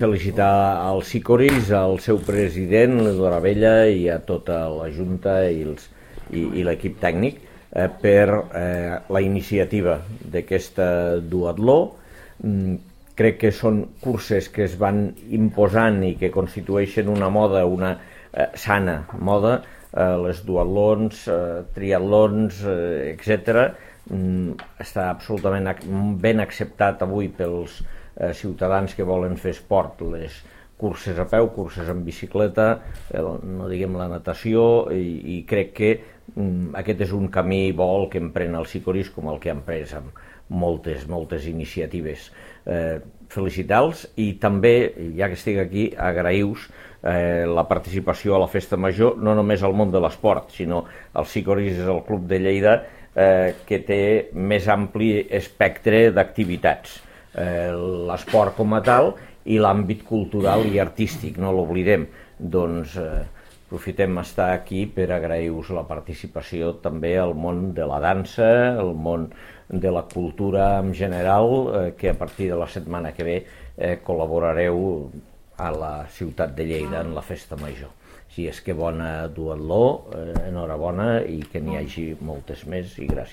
felicitar al Sicoris, al seu president, l'Eduard Abella, i a tota la Junta i l'equip tècnic per la iniciativa d'aquesta duatló. Crec que són curses que es van imposant i que constitueixen una moda, una sana moda, les duatlons, triatlons, etc. Està absolutament ben acceptat avui pels ciutadans que volen fer esport, les curses a peu, curses en bicicleta, no diguem la natació, i crec que aquest és un camí bo el que empren el Sicoris, com el que han pres amb moltes iniciatives. Felicitar-los i també, ja que estic aquí, agrair-vos la participació a la Festa Major, no només al món de l'esport, sinó el Sicoris és el club de Lleida que té més ampli espectre d'activitats. L'esport com a tal i l'àmbit cultural i artístic, no l'oblidem. Doncs aprofitem estar aquí per agrair-vos la participació també al món de la dansa, al món de la cultura en general, que a partir de la setmana que ve col·laborareu a la ciutat de Lleida en la Festa Major. Si és que bona duatló, enhorabona, i que n'hi hagi moltes més, i gràcies.